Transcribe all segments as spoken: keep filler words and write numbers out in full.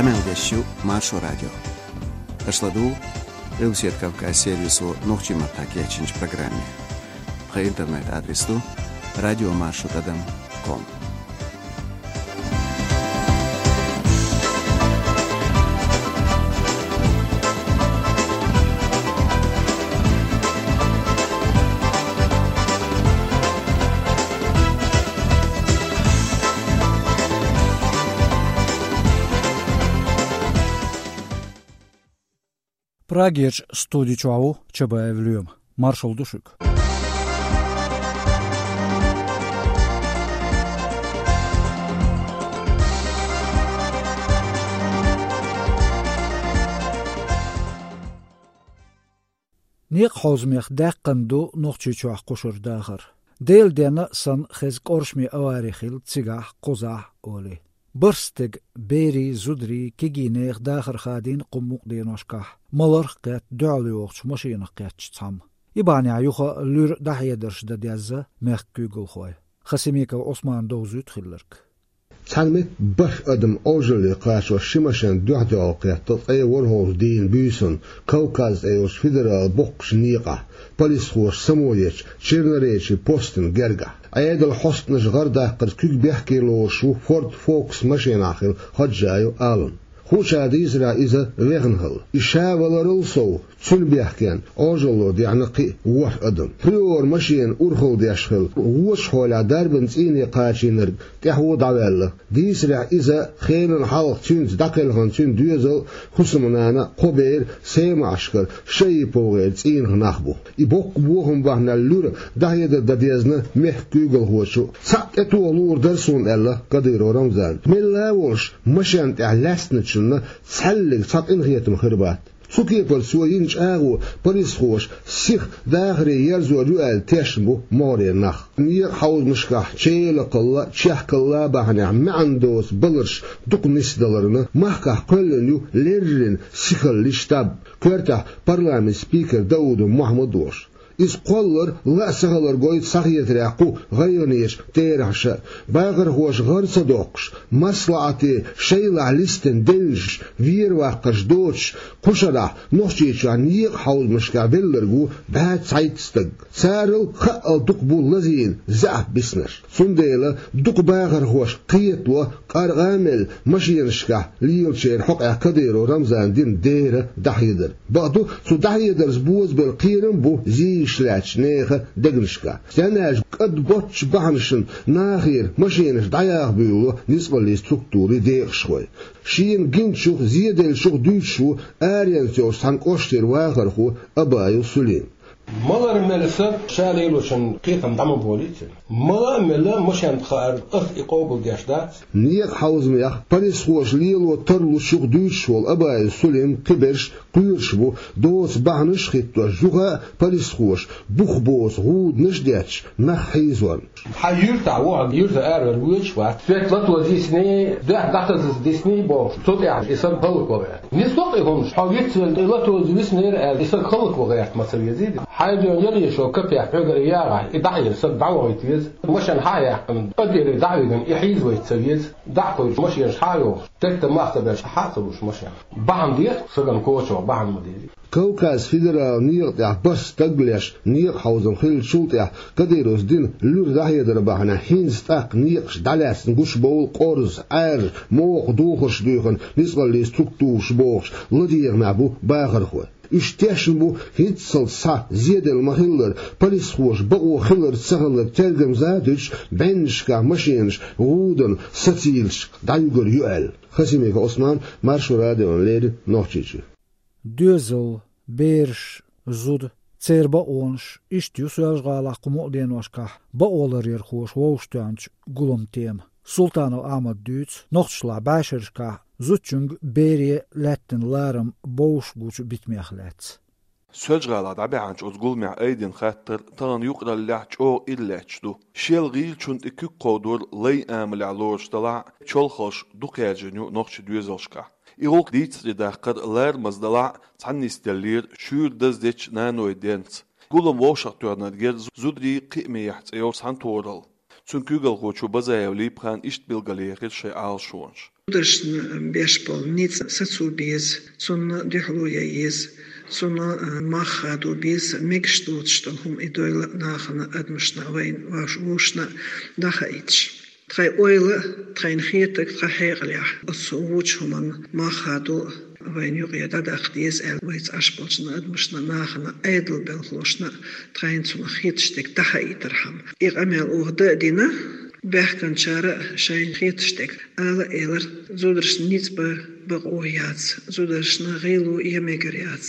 Къамел деш ю Маршо радио. Аша ладугӀу Къилбаседа Кавказ сервисо нохчийн маттахь кечйинчу программе. Тхан интернет-адрес ду радиомаршо тӀадам ком. Прагерчу студи чохь ву Чабаев Лоьма. Маршалла ду шуьга. Некъан хьовзамех даьккхина ду Нохчийчохь кхушара дахар. Делан денна а санна, хеза кӀоршаме авари хилла цигахь, кхузахь, олий. БархӀ стеган, берийн, зударийн, кегийрийн дахар хадийна кху мукъа деношкахь, маларх а кхетта, дуьхьал йогӀучу машинах кхеттачу цхьамма. И бахьанехь юха а луьра дӀахьедарш дан дезна мехкан куьйгалхой. Хасимиков Ӏусмана довзуьйту хилларг. Цхьана метта бархӀ адам Ӏожалле кхачош ши машен дуьхьал-дуьхьал кхетта, ткъе ворхӀалгӀачу дийнан буьйсанна Кавказ цӀе йолчу федералан боккхачу некъахь, полисхоша само ечу Черноречий постан гергахь. Ӏедалан хьостанаша гӀар даккхарца куьг бехке лоруш ву Ford Focus машенахь хилла Ходжаев Алан. Хуучара дийцарехь, иза вехна хилла. И ша валарал сов, цуьнан бехкенна Ӏожалло даьхьна кхин а ворхӀ адам. Приора машена урхалла деш хилла, вочу хьолехь дарбан цӀийне кхачийнарг тӀаьхьо дӀаваьлла. Дийцарехь, иза хенан хьалха цуьнца дӀакхелхина цуьнан доьзал а, хӀусамнана а, кхо бер а, Сема-Ӏаьшкара ШаиповгӀеран цӀийнах нах бу. И боккха бохам бахьанехь луьра дӀахьедар дан дезна мехкан куьйгалхочо. Цхьаъ тӀетоха луур дара суна, аьлла Кадыров Рамзана. Мелла а волуш, машен тӀехь лаьцначунна цхьаьллиг цхьа къинхетам хир бац. Цу кепара цо йина чӀагӀо полисхоша сиха дахаре ерзор ю аьлла тешна бу могӀарера нах. Некъан хьовзамашкахь челакхалла а, чехкалла а бахьанехь маьӀна доцу баларш дукха нисдаларна, махкахь кхоьллина ю леррина сихаллин штаб. Коьртехь парламентан спикер Даудов Мохьмад а волуш. Иза кхоллар ла а ца хилар гойту схьахетарехь кху гӀайгӀанечу терахьаша. Бахархоша гӀар ца доккхуш, маслаӀате шайлахь листина девнаш, вер-ваккхарш доцуш, кху шарахь Нохчийчохь некъан хьовзамашкахь велларг ву бӀе цхьайтта стаг. Царал хаъал дукха бу лазийна заьӀап биснарш. Цундела дукха бахархоша кхетало, къаркъа а мелла, машенашкахь лелачеран хьокъехь Кадыров Рамзана дина дера дӀахьедар. Бакъду, цу дӀахьедарца бозабелла кхерам а бу зийчу лаьттачу нехан дегнашкахь. Стенна аьлча, кӀад боцчу бахьанашна нахера машенаш дӀаяха буьйлало ницкъаллийн структурийн декъашхой. Шена гиначух, зеделлачух дуьйцуш ву аренца йолчу цхьана кӀоштара вахархо Абаев Сулим. Малар мелла саг ша лелочун кхетам дӀа ма болийта. Мала а мелла машен тӀе хаар, ас и къобалдеш дац. Некъан хьовзамех полисхоша лело тарлучух дуьйцуш волу Абаев Сулим кхиберш кхоьруш бу, доцу бахьанаш а хӀиттош, юха а полисхоша бух боцу гӀуданаш а детташ, нах хьийзорна. Хьан юьртахь ву, хьан юьртара аравала воьдуш вац. Светла тӀе дисний, дуьхьа дӀахазаза дисний бохуш, цу тӀехь и саг хӀаллакван гӀерта. Нисло-кх и хӀумнаш, хьо вицвелла, и латоза виснера аьлла, и саг хӀаллакван гӀерта ма ца везий? Хьайна дуьйна яле шо капех хьоьгара яхахь, и дӀахьийна саг дӀавахийта веза. Машен хьа а яьккхина, тӀадерриг дӀа а вигина, и хьийзавайта ца веза. ДӀа а кхуьйсуш, машенаш хьа а йохуш, тӀекхтам мах ца беш, хьа а ца луш машен. Бахьана деха сагана кочо, бахьана ма дезий. Кавказ федералан некъа тӀехь бархӀ стаг леш, некъан хьовзам хиллачул тӀаьхьа Кадыровс дина луьра дӀахьедар бахьанехь хӀинца тӀаккха некъаш дӀалаьцна гучубовла Къорза, Ӏаьржа, Мохо духарш дуьйхина ницкъаллийн структураш бохуш, ладегӀамехь бу бахархой. Уьш тешна бу хӀинццалц схьа зеделла ма-хиллара, полисхоша бакъо хилар-цахилар тергамза а дуьтуш, бӀеннашкахь машенаш гӀуданан сацийлашка дӀаюьгур ю аьлла. Хасимиков Ӏусман, Маршо радиона леррина, Нохчийчуьра. Доьзал, бераш, зуда, церан бакъонаш, иштта ю Соьлжа-ГӀалахь кху мукъа деношкахь бакъоларъярхоша вовшахтоьхначу гуламан тема. Султанов Ахьмада дуьйцу нохчашлахь бӀешерашкахь зудчуьнга, бере лаьттина ларам бовш гучу битамех лаьцна. Соьлжа-ГӀалахь дӀабаьхьначу оцу гуламехь айдина хаттар тахана юкъараллехь чӀогӀа иралаьтташ ду. Шел гӀийлачунна тӀе куьг кховдор лайн амалехь лоруш делахь а, чолхалш дукха яьржина ю нохчийн доьзалшкахь. И гӀуллакх дийцаре даккхар ларамаза делахь а, цхьаьна нисделлера шуьйра даздечу наной денца. Гулам вовшахтоьхнарг яра зударийн кхиамехь цӀе йолчу цхьаьнатохаралла. Цуьнан куьйгалхочо Базаев Липхана иштта билгалъяьхира шайн Ӏалашонаш. Зударшна беш болу ницкъ сацо беза, цунна дуьхьало ян еза, цунна, а, мах хадо беза, мегаш доцуш долу хӀума и дойла а нахана, адамашна а, вайна вовшашна а дӀахаийташ. Тхайн ойла а, тхайна хетарг тхан хьекъалехь, оцу вочу хӀуманна мах хадо а, вайна юкъе дӀадаккха деза аьлла, вайца Ӏаш болчу адамашна, нахана, Ӏедалан белхалошна а тхайна цунах хеташ дерг дӀахаийтархьама. И къамел оха дан а дина, баьхкинчара а шайна хеташ дерг ала а элира: зударшна ницкъ бан бакъо яц, зударшна гӀело ян мегар яц.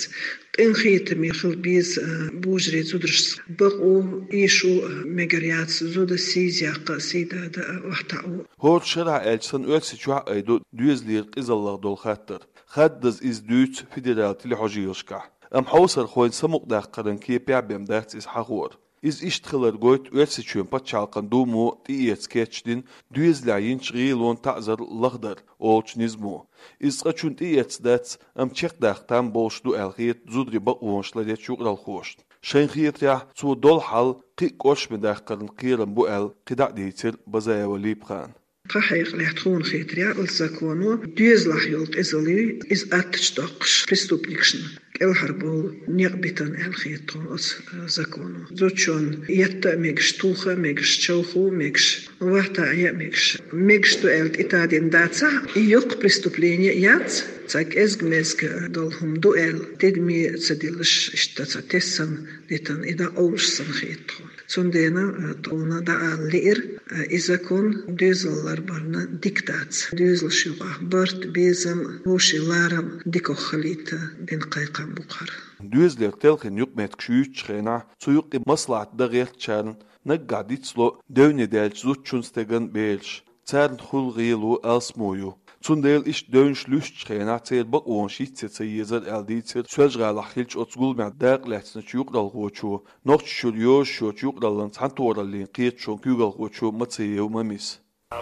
Къинхетаме хила беза, а, божарий зударшца. Бакъо, эшо а мегар яц, зуда сийсаза яккха а, сий дада а, охьатаӀо а. ХӀора шарахь аьлча санна, Оьрсийчохь а айдо доьзалера къизаллех долу хаттар. Хаддаза иза дуьйцу федералан телехьожийлашкахь. Амма хьовсархойн самукъадаккхаран кепехь бен дац иза хьахор. Иза иштта хилар гойту Оьрсийчоьнан пачхьалкхан Думо тӀеэца кечдина «Доьзалехь йинчу гӀелонан таӀзар лахдар» олучу низамо. Иза цкъачунна тӀеэцна дац, амма чекхдаккха там болуш ду аьлла хета зударийн бакъонаш ларъечу юкъаралхошна. Шайна хетарехь, цо долу хьал кхин а кӀоршаме даккхаран кхерам бу аьлла, кхидӀа а дийцира Базаева Липхана. Тхан хьекъалехь, тхуна хетарехь, оцу законо доьзалехь йолу къизалла, иза аттачу доккхуш, преступникашна кӀелхьарбовла некъ битина аьлла хета тхуна оцу, э, законо. Зудчунна етта а мегаш, тоха а мегаш, човха а мегаш, вахта а ян а мегаш. Мегаш ду аьлла тӀетадина дацахь, и йоккха преступление яц, цхьа кӀезиг-мезиг долу хӀума ду аьлла, тидаме ца диллаш, иштта цхьа тесна дитина, и дӀакъовлуш санна хета тхуна. Цундела, э, тхуна дӀаала лиира, э, и закон доьзал ларбарна дика дац. Доьзалш юкъахь барт, безам, вовшийн ларам дикох хилийта дина кхайкхам бу-кх хӀара. Доьзалера телхина юкъаметтигаш юьйцучу хенахь, цу юккъе маслаӀат дан гӀертачарна наггахь дицло девне даьллачу зудчун, стеган бераш. Царна хуьлу гӀело, алсамо ю. Цундела иштта девнаш луьстучу хенахь церан бакъонаш йицъян ца езара аьлла дийцира Соьлжа-ГӀалахь хиллачу оцу гуламехь дакъа лаьцначу юкъаралхочо, Нохчийчуьра йозуш йоцчу юкъараллин цхьаьнатохараллин кхеташонан куьйгалхочо Мациев Мамис.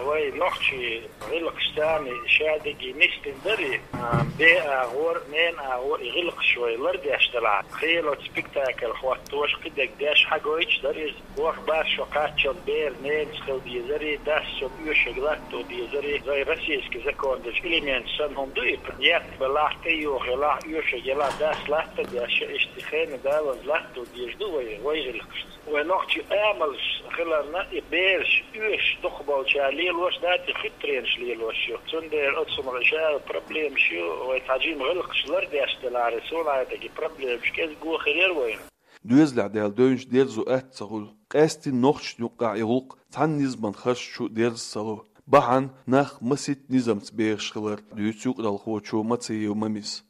Вай нохчийн гӀиллакхаш царна шадерриге нисдина дара, а, бен агӀор, ненан агӀор и гӀиллакхаш вай лардеш делахь, кхин оцу спектакль хӀоттош, кхидерг деш хьагойтуш дара иза. ВорхӀ-бархӀ шо кхаччалц бер ненаца хила дезарий, дас цунна оьшург латто дезарий, вай российский закон дечу элементаш санна хӀума ду и, етта белахь, тӀеюха елахь, оьшург елахь, дас латта а деш, иштта хенан далаза латто дезаш ду вай, вай гӀиллакхашца. Вай нохчийн амалш хиларна, и бераш оьшуш дукхахболчара лелош дац, и хитренаш лелош ю. Цундела оцу хӀуманах ша проблемаш ю, вай цхьа жима гӀиллакхаш лардеш делахь, суна хетарехь, и проблемаш кӀезиго хир яра вайна. Доьзалехь даьлла девнаш дерзо атта ца хуьлу. Къаьсттина нохчашна юккъехь и гӀуллакх цхьана низаман харжачу дерза ца ло. Бахьана нах масийтта низамца бехаш хилар, дуьйцу юкъаралхочо Мациев Мамис.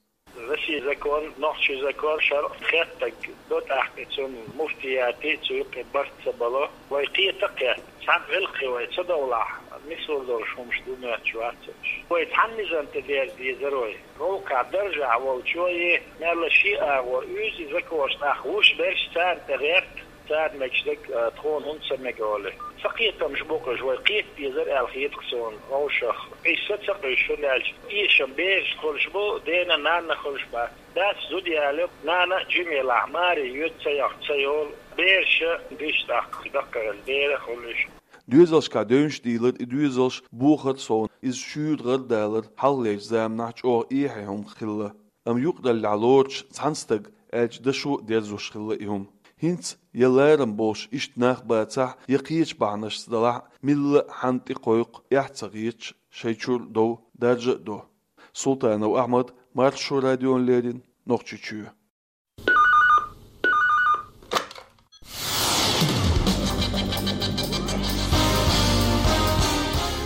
Россин закон, нохчийн закон, шарӀ хеттарг до тӀаккха, цунна муфтиятийн цу юкъе барт ца бало. Вай кхета а кхетта, цхьана гӀиллакхе вай ца довлахь, нисвала долуш хӀумаш ду моьттуш вац уьш. Вай цхьана низам тӀе дерза дезара вай. ГӀуллакхехь даржехь волчо, е мелла шен агӀор уьйзу, и законаш нах вуьш берш царна тӀе гӀерта, царна мегаш дерг, а, тхуна хӀунда ца мега олий. Ца кхетамаш бу-кх уьш, вай кхета дезара аьлла хета-кх суна вовшах. Уьш са ца къуьйсуш, хӀунда аьлча эшам берашна хуьлуш бу, дена, нанна хуьлуш бац. Дас зуда ялайо, нана а жима елахь, маре йоьду, ца йохку ца йолу, бераш а диш тӀаккха даккхий хила дера а хуьлу уьш. Доьзалшкахь девнаш дийлар, и доьзалш бохар а совна, иза шуьйра гӀардалар хьалхалерчу заманахь чӀогӀа эхье хӀума хилла. Амма юкъараллехь лоручу цхьана стага аьлча дашо а дерзош хилла и хӀума. ХӀинца я ларам болуш иштта нах бацахь, я кхечу бахьанашца далахь а, милла а хьанна тӀекхойкху эхь ца хеташ, шайн чуьра дов даржа а до. Султанов Ахьмад, Маршо радиона леррина, Нохчийчоь.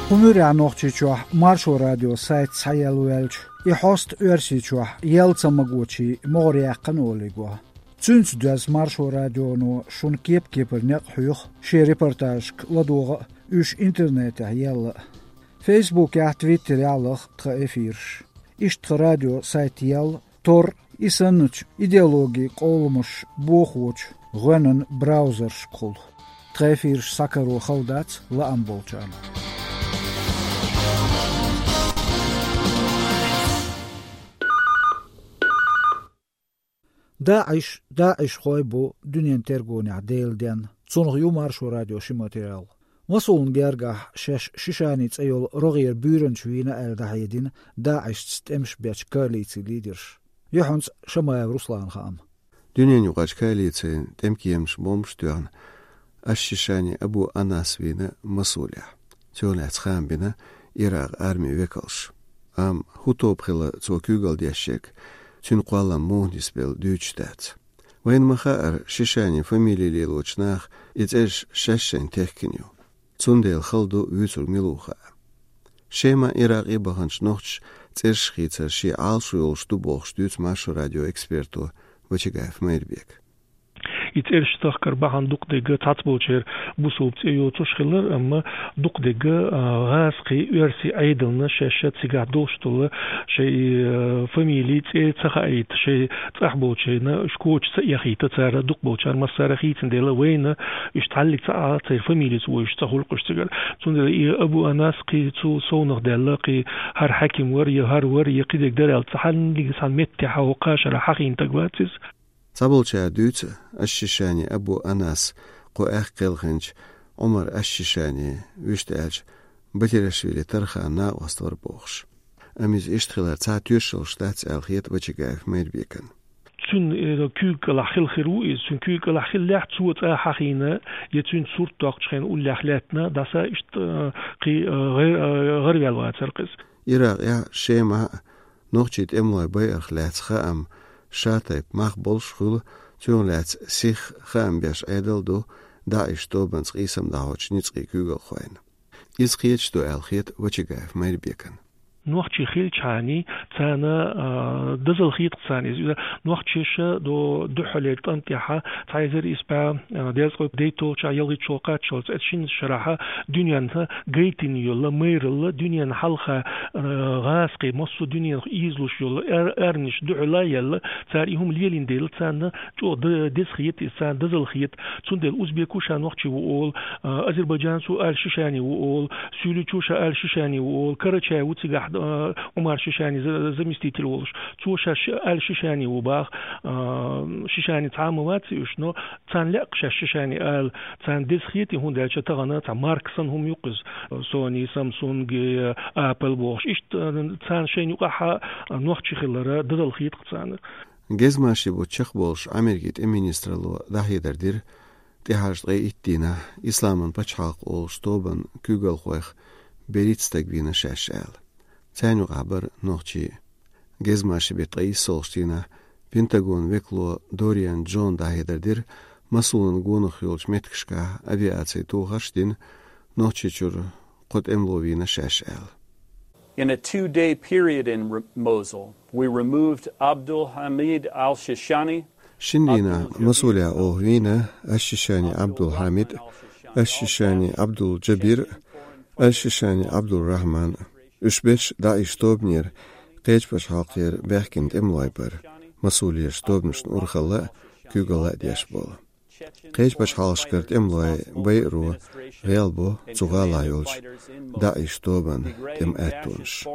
Кху муьрехь Нохчийчохь Маршо радион сайт схьаелла ваьлча, и хьоста Оьрсийчохь яла ца магочийн могӀарехь яьккхина олий го. Цуьнца доьзна Маршо радионо шуна кеп-кепара некъ хьоьху шен репортажашка ладогӀа а, уьш интернетехь елла а. Фейсбукехь, твиттерехь лаха тхан эфираш. Иштта тхан радион сайт елла, тор, и санначу идеологин къолламаш бохочу гӀоьнан браузерашкахула. Тхан эфираш схьакаро хала дац лаам болчарна. ДАИШ, ДАИШхой бу дуьненан тергонехь Делан денна. Цунах ю Маршо радион ши материал. Масулан гергахь шаьш Шишани цӀе йолу рогӀера буьйранча вийна аьлла дӀахьедина ДАИШца тӀемаш бечу коалицин лидерша. Юьхьанца Шамаев Русланан хаам. Дуьненаюкъарчу коалицин тӀемкемаша бомбаш тоьхна, аш-Шишани Абу Анас вийна Масулехь. Цунах лаьцна хаам бина Иракъан армин векалша. Амма хӀун тоба хилла цо куьйгалла деш ерг, цуьнан кхоллам муха нисбелла дуьйцуш дац. Вайна ма-хаъара, Шишанин фамили лелочу наха и цӀераш шаьш шайна техкина ю. Цундела хала ду вуьйцург мила ву хаа. Шема, Иракъе баханчу нохчаша цӀераш хийцар шен Ӏалашо йолуш ду бохуш дуьйцу Маршо радион эксперто Вачагаев Майрбека. И цӀераш тахкар бахьана дукха дерг цхьацболчеран бусалба цӀе йоцуш хилар, амма дукха дерг, а, гӀазкхийн, оьрсийн Ӏедална шаьш цигахь долуш долу шайн, а, фамили, цӀе ца хаийта, шайн цӀахь болчарна уьш коча ца эхийта цара, дукхахболчара массара хийцина дела, вайна уьш цхьаллиг ца Ӏа, церан фамилица вовшашца хуьлу-кх уьш цигара. Цундела и Абу Анас кхин цул совнаха даьлла, кхин хӀара хьаьким вара, я хӀара вара, я кхидерг дара аьлла, цхьаннега цхьана меттехь хӀокху кхашара хьахийна стаг вац иза. Цхьаболчара дуьйцу аш-Шишани Абу Анас кху аьхка кхелхинчу Ӏумар аш-Шишани, вуьшта аьлча, Батирашвили Тарханан накъост вара бохуш. Амма иза иштта хилар цхьа тоьшаллаш дац аьлла хета Вачагаев Майрбекана. Цуьнан, э, куьйга кӀалахь хилла хир ву иза. Цуьнан куьйга кӀалахь хилла лаьхьа цо цӀа хьахийна, я цуьнца сурт доккхучу хенахь уллехь лаьттина, дӀаса иштта, э, кхин, э, гӀар-, э, гӀараваьлла вацара-кх иза. Иракъехь, Шемахь нохчийн тӀемалой байарх лаьцна хаам ша тайпа мах болуш хуьлу, цунах лаьцна сиха хаам беш Ӏедал ду ДАИШ тобанца къийсам дӀахьочу ницкъийн куьйгалхойн. Иза кхеташ ду аьлла хета Вачагаев Майрбекана. Нохчий хилчхьана, царна, а, дозалла хета-кх царна иза. Иза нохчаша до дуьххьарлера тӀам тӀехь цхьа эзар исс бӀе, а, дезткъе дейтталгӀачохь, ялхитталгӀачохь кхаччалц, оцу шина шарахь дуьненна гайтина йолу майралла, дуьненна хьалха, а, гӀазкхий, массо а дуьненах ийзалуш йолу ар-, арманаш дуьхьал а яьлла, цара и хӀума лелийна дела, царна чӀогӀа д-, деза хета иза, царна дозалла хета. Цундела узбеко ша нохчи ву олу, а, азербайджанцо ала Шишани ву олу, суьйличо ша ала Шишани ву олу, карачай ву цигахь, а, Ӏумар Шишани за-, заместитель волуш. Цо ша ши-, ала Шишани ву баха, а, Шишани цхьа а ма вац уьш, но царна лаьа-кх шаьш Шишани ала, царна деза хета, хӀунда аьлча тахана цхьа марка санна хӀума ю-кх иза, Sony, Samsung, Apple бохуш. Иштта, а, царна шайна юкъахь а нохчи хилар дозалла хета-кх царна. Гезмашин бутт чекхболуш Ӏамеркин тӀеман министралло дӀахьедар дира, тӀаьхьарчу ткъе итт дийнахь Исламан пачхьалкх олуш тобанан куьйгалхойх берхӀитта стаг вийна шаьш аьлла. Царна юкъахь бара нохчи а. Гезмашин беттан ткъе иссалгӀачу дийнахь Пентагонан векало Дориан Джона дӀахьедар дира, Масулан гонах йолчу меттигашкахь авиацин тухарш а дина, Нохчийчуьра кхо тӀемало вийна шаьш аьлла. In a two-day period in Re-, Mosul, we removed Abdul Hamid al-Shishani. Шина дийнахь Масулехь оха вийна аш-Шишани Абдул-Хьамид, аш-Шишани Абдул-Джабир, аш-Шишани Абдул-Рахьман. Уьш берш ДАИШ тобанера, кхечу пачхьалкхера баьхкина тӀемалой бара, Масулерчу тобанашна урхалла а, куьйгалла а деш болу. Кхечу пачхьалкхашкара тӀемалой байаро гӀелбо цу гӀалахь йолчу ДАИШ тобанан тӀеман аьттонаш.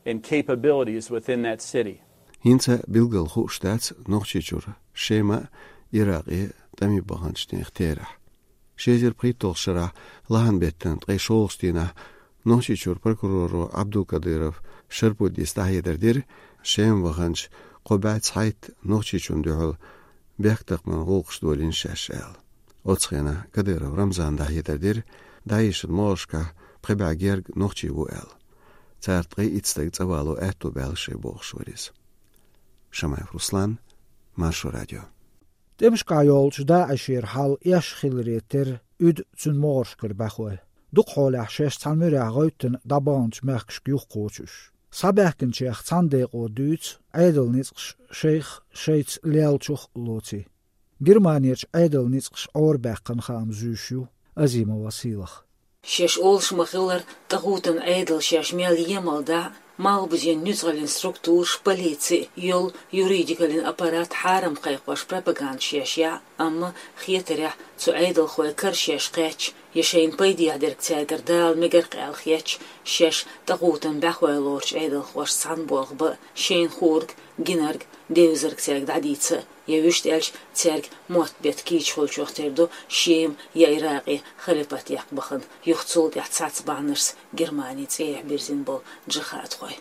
And capabilities within that city. ХӀинца билггал хууш дац Нохчийчуьра, Шема а, Иракъе а тӀаме баханчу нехан терахь. Ши эзар пхийтталгӀачу шарахь лахьан беттан ткъе шолгӀачу дийнахь Нохчийчуьра прокуроро Абдулкадыров Шарпуддис дӀахьедар дира, Шема ваханчу кхо бӀе цхьайтта нохчичунна дуьхьал бехктакхаман гӀуллакхаш долийна шаьш аьлла. Оцу хенахь Кадыров Рамзана дӀахьедар дира, ДАИШ-ан могӀаршкахь пхи бӀе герга нохчи ву аьлла. Царах ткъе итт стаг цӀа вало аьтто баьлла шайн бохуш вара иза. Шамаев Руслан, Маршо радио. ТӀемашкахь йолчу ДАИШ-ера хьал эшна хиларе терра уьду цуьнан могӀаршкара бӀаьхой. Дукха хьолехь шаьш цхьана муьрехь гӀевттина дӀабаханчу мехкашка юхакхочу уьш. Схьабаьхкинчех цхьана декъо дуьйцу Ӏедалан ницкъаш шайх шайца леллачух а лоций. Германерчу Ӏедалан ницкъаша Ӏорабаьккхина хаам зуьйш ю Азимова Сийлаха. Шаьш олуш ма-хиллара, тӀагӀутан Ӏедал шаьш мел емал дӀа, малхбузен нуьцкъаллин структураш, полици, йолу юридикаллин аппарат хьарам кхайкхош пропаганда шаьш яхь, амма хетарехь, цу Ӏедалхойн кара шаьш кхаьчча, Я шайна пайдехьа дерг цаьргара дала мегар къаьлла хеташ, шаьш тӀакхувтам бӀаьхой лоручу Ӏедалхошца цхьаьна болх бан, шайна хуург, гинарг, девзарг цаьрга дӀадийца а, я вуьшта аьлча, цаьрга мотт бетта кийча хуьлучух тера ду Шема я Иракъе халифат яккха бахана, юха цул тӀаьхьа цхьацца бахьанашца Германи цӀехьа бирзина болу джихадхой.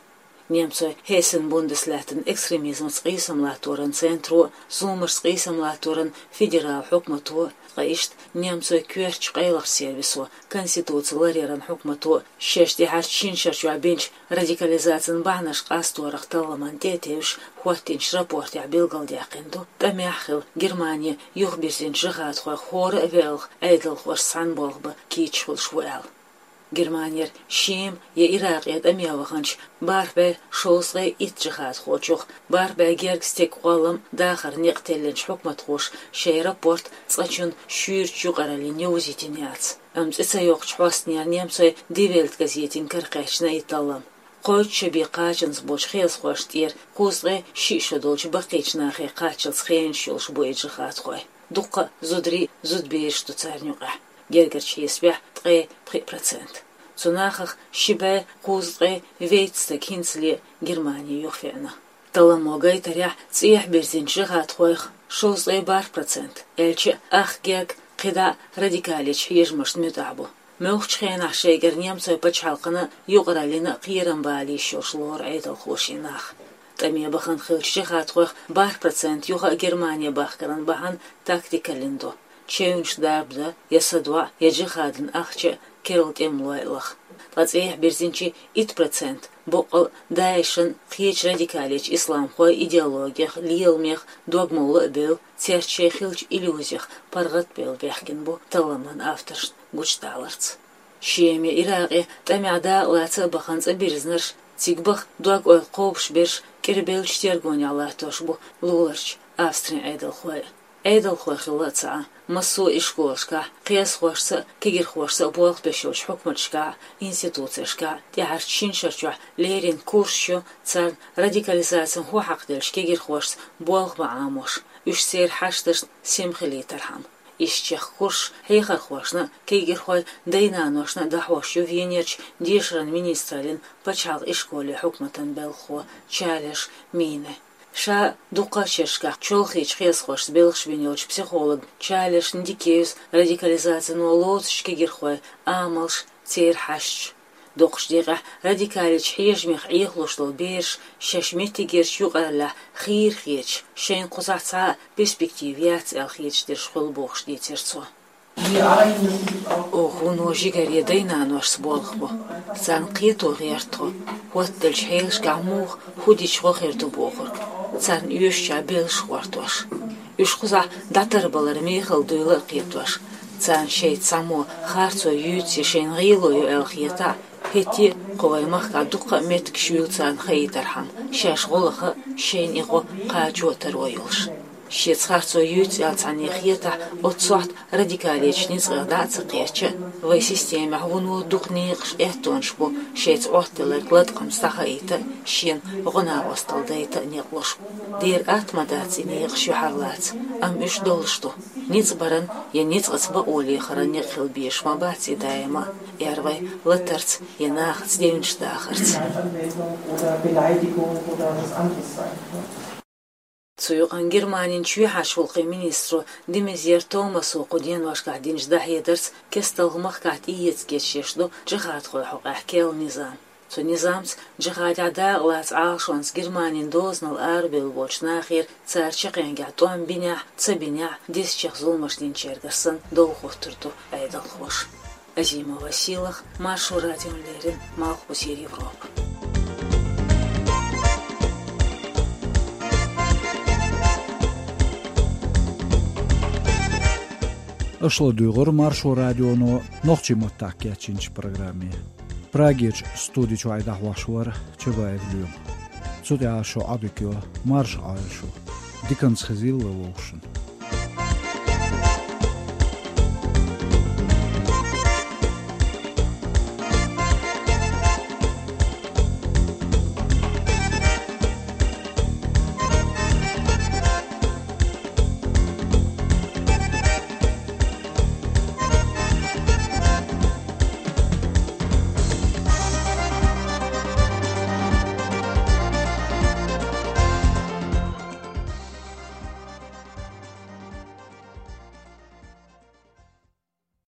Немцойн Хессен-Бундеслаьттан экстремизмаца къийсам латторан центро, зуламашца къийсам латторан федерал хьукмато, ткъа иштта немцойн коьртачу къайлахчу сервисо, конституци ларъяран хьукмато шаьш тӀаьхьарчу шина шарчохь бинчу радикализацин бахьанаш къасторах талламан тӀе а тевжаш, хӀоттийначу рапортехь билгалдаьккхина ду, тӀамехь хилла Германе юхабирзинчу джихадхойх хӀора а велха Ӏедалхошца цхьаьна болх бан кийча хуьлуш ву аьлла. Германера Шема я Иракъе тӀаме ваханчу бархӀ бӀе шовзткъе итт джихадхочух бархӀ бӀе гергга стеган кхоллам дахаран некъ теллинчу хьукматхоша шайн рапорт цкъачунна шуьйрачу юкъараллина йовзийтина яц. Амма цӀе ца йоккхучу хьостанера немцойн Die Welt газетина каракхаьчна и таллам. Кхойтта шо бен кхачанза болчу хьесахошна тӀера кхузткъе шиъ шо долчу баккхийчу нахе кхаччалц хенаш йолуш бу и джихадхой. Дуккха а зударий, зудабераш ду царна юкъахь. Гергарчу хьесапехь ткъе пхиъ процент. Цу нахах ши бӀе кхузткъе вейтта стаг хӀинцале Германе юхавеана. Талламо гайтарехь, цӀехьа бирзинчу джихадхойх шовзткъе бархӀ процент, аьлча а, ах герга кхидӀа а радикалечу хьежамашна муьтӀахь бу. Муьлххачу хенахь шайгара немцойн пачхьалкхана а, юкъараллина а кхерам бала йиш йолуш лору Ӏедалхоша и нах. ТӀаме бахана хиллачу джихадхойх бархӀ процент юха а Германе бахкаран бахьана тактикаллин ду: чевнаш дарба дан, я садоӀа, я джихадан ахча а, керла тӀемалой а лаха. Ткъа цӀехьа бирзинчийн итт процент боккъал а ДАИШан, кхечу радикалечу исламхойн идеологех, леламех догмалла а бевлла, цаьрца шайн хиллачу иллюзех паргӀат а бевлла баьхкина бу талламан авторшна гучудаларца. Шема я Иракъе тӀамехь дакъалаца а бахана цӀа бирзинарш, цига баха дог-ойла кхобуш берш кӀирбеллачу тергонехь латтош бу луларчу Австрин Ӏедалхой а. Ӏедалхой хилла а ца Ӏа, массо а ишколашкахь, кхиазхошца а, кегирхошца а болх беш йолчу хьукматашкахь а, институцешкахь а тӀаьхьарчу шина шарчохь леррина курсаш ю царна радикализацин хӀу хьакхаделлачу кегирхошца болх бан Ӏамош, уьш церан хьашташна сема хилийтархьама. Иштта чехка курсаш хьехархошна а, кегирхойн дай-наношна а дӀахьош ю Венерчу дешаран министраллин пачхьалкхан ишколе хьукматан белхахо Чалеш Мине. Ша дуккха а шерашкахь чолхечу хьесахошца белхаш бина йолчу психолог Чалеш Нидикевс радикализацино лоцучу кегирхойн амалш, церан хьашташ. Дукхачу декъехь радикалечу хьежамех Ӏехалуш долу бераш шаьш меттигерчу юкъараллехь хийра хеташ, шайна кхузахь цхьа а перспектива яц аьлла хеташ дерш хуьлу бохуш дийцира цо. Оха вуно жигаре дай-наношца болх бу. Царна кхето гӀерта тхо, хӀоттаделлачу хьелашкахь муха, хӀу дича гӀо хир ду бохург. Царна оьшучохь беллаш гӀортош. Уьш кхузахь дӀатарбалар мехала дуйла а кхетош. Царна шайца цхьаммо харцо юьйцу я шайна гӀело йо аьлла хетахь, хӀетте а кху вайн махкахь дуккха а меттигаш юьйлу царна хаийтархьама, шаьш гӀо лаха а, шайна и гӀо кхачо а таро йолуш. Шеца харцо юьйцу аьлла цхьанне хетахь, оццу сохьта радикалечу ницкъех дӀа а ца кхеча а, вайн системехь вуно дукха некъаш, аьттонаш бу шайца Ӏоттаделларг латкъамца дӀахаийта а, шена гӀо-накъосталла дайта а некъ луш. Дера атта ма дац и некъаш юьхьарлаца, амма уьш долуш ду. Ницкъ баран я ницкъаца бакъо лехаран некъ хила безаш ма бац и даима а, эр вай, латарца я нахаца девнаш дахарца. Цу юкъана Германин чоьхьарчу гӀуллакхийн министро де Мезьер Томасо кху деношкахь динчу дӀахьедарца кесталгӀа махкахь тӀеэца гечдеш ду джихадхойн хьокъехь керла низам. Цу низамца джихадехь дакъалаца Ӏалашонца Германин дозанал арабевлла болчу нахера цара чаккхенгехь тӀом бинехь а, ца бинехь а, дезачех зуламаш динчаьргара санна дов хоттур ду Ӏедалхоша. Азимова Сийлаха, Маршо радиона леррина, Малхбузера Европа. Аша ладуьйгӀура Маршо радионо нохчийн маттахь кечйинчу программе. Прагерчу студи чуьра дӀахьош вара Чабаев Лоьма. Цу тӀехь шун Ӏодика йо, марша Ӏойла шу. Диканца хезийла вовшашна.